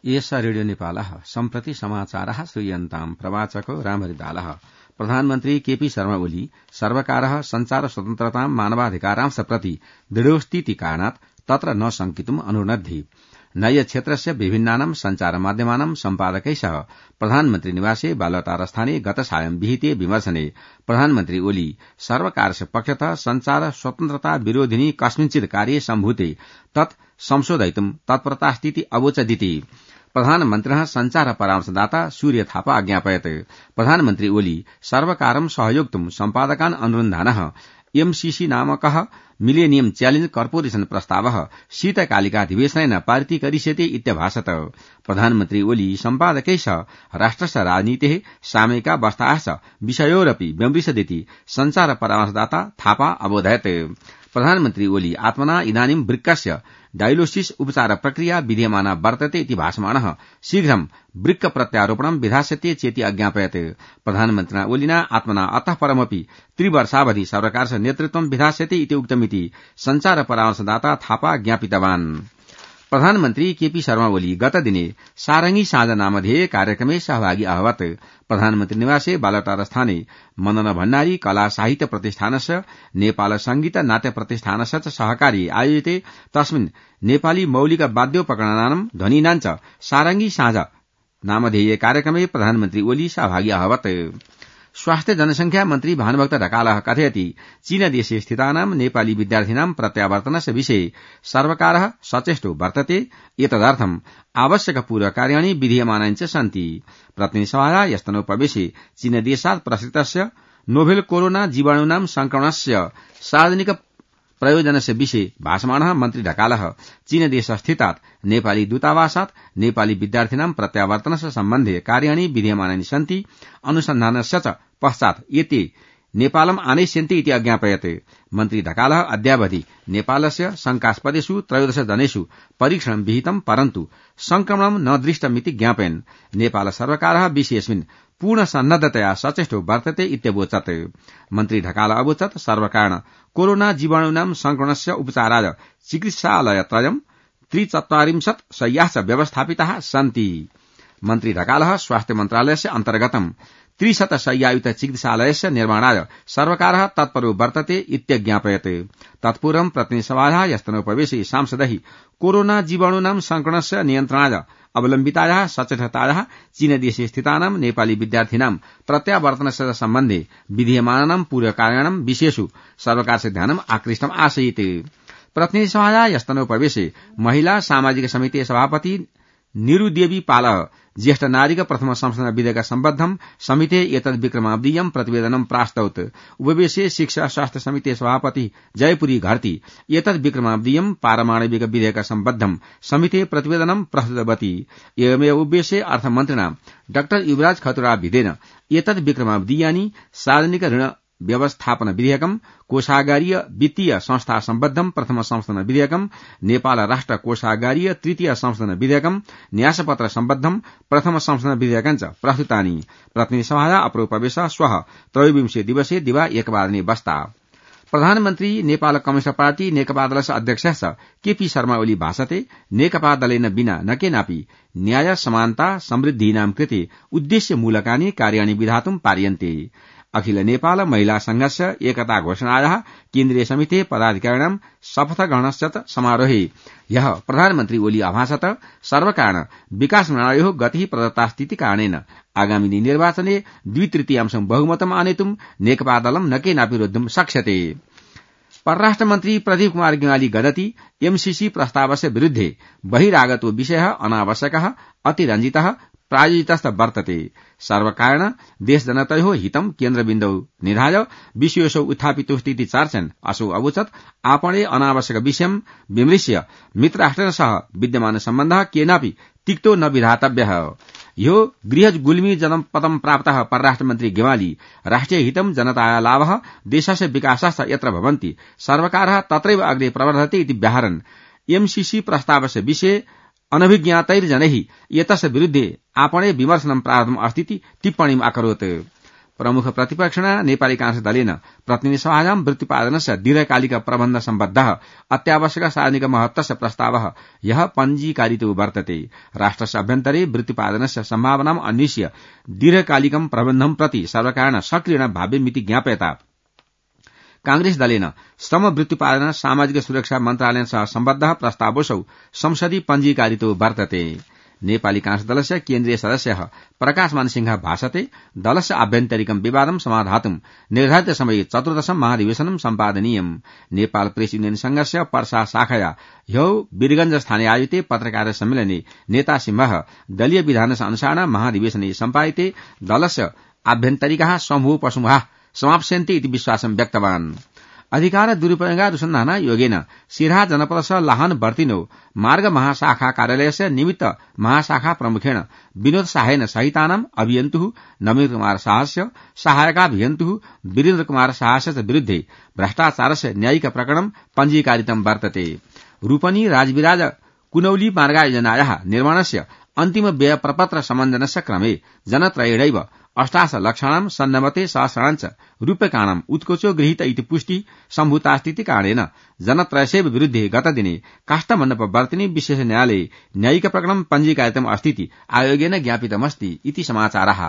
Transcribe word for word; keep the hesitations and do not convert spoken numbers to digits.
एष रेडियो नेपालः सम्प्रति समाचारः श्रूयन्ताम् प्रवाचको रामहरिदालः। प्रधानमन्त्री केपी शर्मा ओली सर्वकारः संचार स्वतन्त्रतां मानवाधिकारांश प्रति दृढोस्तीति कारणात् तत्र न शंकितुम् अनुनद्धि। नय क्षेत्रस्य विभिन्नानां संचार माध्यमानां सम्पादकै सह प्रधानमन्त्री निवासे बालटारस्थाने गत सायं विहिते विमर्शने प्रधानमन्त्री ओली सर्वकारस्य पक्षतः संचार स्वतन्त्रता विरोधिनी कस्मिंश्चित् कार्ये सम्भूते तत् संशोधयितुं तत्परतास्तीति अवोचदिति। प्रधानमन्त्रिणः संचार परामर्शदाता सूर्य थापा अज्ञापयत्। प्रधानमन्त्री ओली सर्वकारं सहयोक्तुं सम्पादकान् अनुरुन्धानः एमसीसी नामकः मिलेनियम च्यालेंज कर्पोरेशन प्रस्तावः शीतकालिकाधिवेशनेन पारितीकरिष्यते इत्यभाषत। प्रधानमन्त्री ओली सम्पादकै सह राष्ट्रस्य राजनीतेः सामयिकावस्थायाश्च विषयोरपि व्यमृशदिति संचार परामर्शदाता थापा अबोधयत्। प्रधानमन्त्री ओली आत्मना इदानीं वृक्कस्य डायलोसिस उपचार प्रक्रिया विधीयमाना वर्तते इति भाषमाणः शीघ्रं वृक्क प्रत्यारोपणं विधास्यते चेति अज्ञापयत्। प्रधानमन्त्रिणा ओलिना आत्मना अतः परमपि त्रिवर्षावधि सर्वकारस्य नेतृत्वं विधास्यते इति उक्तमिति संचार परामर्शदाता थापा ज्ञापितवान्। प्रधानमन्त्री केपी शर्मा ओली गतदिने सारंगी साँझ नामधेय कार्यक्रमे सहभागी अभवत्। प्रधानमन्त्री निवासे बालटारस्थाने मदन भण्डारी कला साहित्य प्रतिष्ठानस्य नेपाल संगीत नाट्य प्रतिष्ठानस्य च सहकार्ये आयोजिते तस्मिन् नेपाली मौलिक वाद्योपकरणानां ध्वनीनां च सारंगी साँझ नामधेय कार्यक्रमे प्रधानमन्त्री ओली सहभागी अभवत्। स्वास्थ्य जनसंख्या मन्त्री भानुभक्त ढकालः कथयति चीनदेशे स्थितानां नेपाली विद्यार्थिनां प्रत्यावर्तनस्य विषये सर्वकारः सचेष्टो वर्तते। एतदर्थम् आवश्यक पूर्वकार्याणि विधीयमानानि च सन्ति। प्रतिनिधिसभाया यस्तनोपवेशे चीनदेशात् प्रसृतस्य नोभेल कोरोना जीवाणूनां संक्रमणस्य सार्वजनिक प्रयोजनस्य विषये भाषमाणः मन्त्री ढकालः चीनदेश स्थितात् नेपाली दूतावासात् नेपाली विद्यार्थिनां प्रत्यावर्तनस्य सम्बन्धे कार्याणि विधीयमानानि सन्ति। अनुसन्धानस्य च पश्चात् एते नेपालम् आनयिष्यन्ते इति अज्ञापयत्। मन्त्री ढकालः अद्यावधि नेपालस्य शंकास्पदेषु त्रयोदश जनेषु परीक्षणं विहितं परन्तु संक्रमणं न दृष्टमिति ज्ञापयन् नेपाल सर्वकारः विषयेऽस्मिन् पूर्ण सन्नद्धतया सचेष्टो वर्तते इत्यवोचत्। मन्त्री ढकालः अवोचत् सर्वकारेण कोरोना जीवाणूनां संक्रमणस्य उपचाराय चिकित्सालयत्रयं त्रिचत्वारिंशत् शय्याश्च व्यवस्थापिताः सन्ति। मन्त्री ढकालः स्वास्थ्य मन्त्रालयस्य अन्तर्गतं त्रिशत शय्यायुत चिकित्सालयस्य निर्माणाय सर्वकारः तत्परो वर्तते इत्यज्ञापयत्। तत्पूर्वं प्रतिनिधिसभायाः यस्तनोपवेशे सांसदैः कोरोना जीवाणूनां संक्रमणस्य नियन्त्रणाय अवलम्बितायाः सचेततायाः चीनदेशे स्थितानां नेपाली विद्यार्थिनां प्रत्यावर्तनस्य सम्बन्धे विधीयमानानां पूर्वकार्याणां विषयेषु सर्वकारस्य ध्यानम् आकृष्टम् आसीत्। प्रतिनिधिसभायाः यस्तनोपवेशे महिला सामाजिक समिति सभापति निरुदेवी पालः ज्येष्ठ नारीक प्रथम संशोधन विधेयक सम्बद्धं समिते एतद् विक्रमाब्दीयं प्रतिवेदनं प्रास्तौत्। उपवेशे शिक्षा स्वास्थ्य समिति सभापति जयपुरी घरती एतद् विक्रमाब्दीयं पारमाणविक विधेयक सम्बद्धं समिते प्रतिवेदनं प्रस्तुतवती। एवमेव उपवेशे अर्थमन्त्रिणा डाक्टर युवराज खतुरा भिदेन एतद् विक्रमाब्दीयानि सार्वजनिक ऋण व्यवस्थापन विधेयकम, कोषागारीय वित्तीय संस्था सम्बद्धं प्रथम संशोधन विधेयकम, नेपाल राष्ट्र कोषागारीय तृतीय संशोधन विधेयकम, न्यासपत्र सम्बद्धं प्रथम संशोधन विधेयकञ्च प्रस्तुतानि। प्रतिनिधिसभाया अप्रोपवेश श्वः त्रयोविंशे दिवसे दिवा एकवादने बस्ता। प्रधानमन्त्री नेपाल कम्युनिस्ट पार्टी नेकपा दलस्य अध्यक्षस्य केपी शर्मा ओली भाषते नेकपा दलेन विना न केनापि न्याय समानता समृद्धीनां कृते उद्देश्यमूलकानि कार्याणि विधातुं पार्यन्ते। अखिल नेपाल महिला संघस्य एकता घोषणायाः केन्द्रीय समिते पदाधिकारिणां शपथग्रहणस्य च समारोहे ह्यः प्रधानमन्त्री ओली अभाषत सर्वकारेण विकास प्रणाल्योः गतिः प्रदत्तास्तीति कारणेन आगामिनि निर्वाचने द्वितृतीयांशं बहुमतम् आनेतुं नेकपा दलं न केनापि रोद्धुं शक्ष्यते। परराष्ट्र मन्त्री प्रदीप कुमार गेवाली गदति एमसीसी प्रस्तावस्य विरुद्धे बहिरागतो विषयः अनावश्यकः अतिरञ्जितः प्रायोजितश्च वर्तते। सर्वकारेण देशजनतयोः हितं केन्द्रबिन्दौ निधाय विषयोऽसौ उत्थापितोऽस्तीति चर्चन् असौ अवोचत् आपणे अनावश्यक विषयं विमृश्य मित्रराष्ट्रेण सह विद्यमान सम्बन्धः केनापि तिक्तो न विधातव्यः। यो गृह गुल्मी जनपदं प्राप्तः परराष्ट्र मन्त्री गेवाली राष्ट्रिय हितं जनताया लाभः देशस्य विकासश्च यत्र भवन्ति सर्वकारः तत्रैव अग्रे प्रवर्धते इति व्याहरन् एमसीसी प्रस्तावस्य विषये अनभिज्ञातैर्जनैः एतस्य विरुद्धे आपणे विमर्शनं प्रारब्धम् अस्तीति टिप्पणीम् अकरोत्। प्रमुख प्रतिपक्षिणा नेपाली कांग्रेस दलेन प्रतिनिधि सभायां वृत्तिपादनस्य दीर्घकालिक प्रबन्ध सम्बद्धः अत्यावश्यक सार्वजनिक महत्वस्य प्रस्तावः ह्यः पञ्जीकारितो वर्तते। राष्ट्रस्य अभ्यन्तरे वृत्तिपादनस्य सम्भावनाम् अन्विष्य दीर्घकालिकं प्रबन्धं प्रति सर्वकारेण सक्रियेण भाव्यमिति ज्ञापयता कांग्रेस दलेन श्रम वृत्तिपादन सामाजिक सुरक्षा मन्त्रालयसह सम्बद्धः प्रस्तावोऽसौ संसदि पञ्जीकारितो वर्तते। नेपाली कांग्रेस दलस्य केन्द्रीय सदस्यः प्रकाशमान सिंह भाषते दलस्य आभ्यन्तरिकं विवादं समाधातुं निर्धारित समये चतुर्दशं महाधिवेशनं सम्पादनीयम्। नेपाल प्रेस युनियन संघस्य पर्सा शाखया ह्यौ वीरगंज स्थाने आयोजिते पत्रकार सम्मेलने नेता सिंह दलीय विधानस्य अनुसारेण महाधिवेशने सम्पादिते दलस्य आभ्यन्तरिकाः समूहोपसमूहाः समाप्स्यन्ते इति विश्वासं व्यक्तवान्। अधिकार दुरुपयोगानुसन्धान योगेन सिराहा जनपदस्य लाहान वर्तिनो मार्ग महाशाखा कार्यालयस्य निमित्त महाशाखा प्रमुखेण विनोद शाहेन सहितानाम् अभियन्तुः नवीन कुमार शाहस्य सहायकाभियन्तुः वीरेन्द्र कुमार शाहस्य विरुद्धे भ्रष्टाचारस्य न्यायिक प्रकरणं पञ्जीकारितं वर्तते। रूपनी राजविराज कुनौली मार्गयोजनायाः निर्माणस्य अन्तिम व्यय प्रपत्र समञ्जनस्य क्रमे जनत्रयेणैव अष्टादश लक्षाणां सन्नवते सहस्राणाञ्च रूप्यकाणाम् उत्कोचो गृहीत इति पुष्टि सम्भूतास्तीति कारणेन जनत्रयस्यैव विरुद्धे गतदिने काष्ठमण्डप वर्तिनी विशेष न्यायालये न्यायिक प्रकरणं पञ्जीकारितम् अस्तीति आयोगेन ज्ञापितमस्ति इति समाचारः।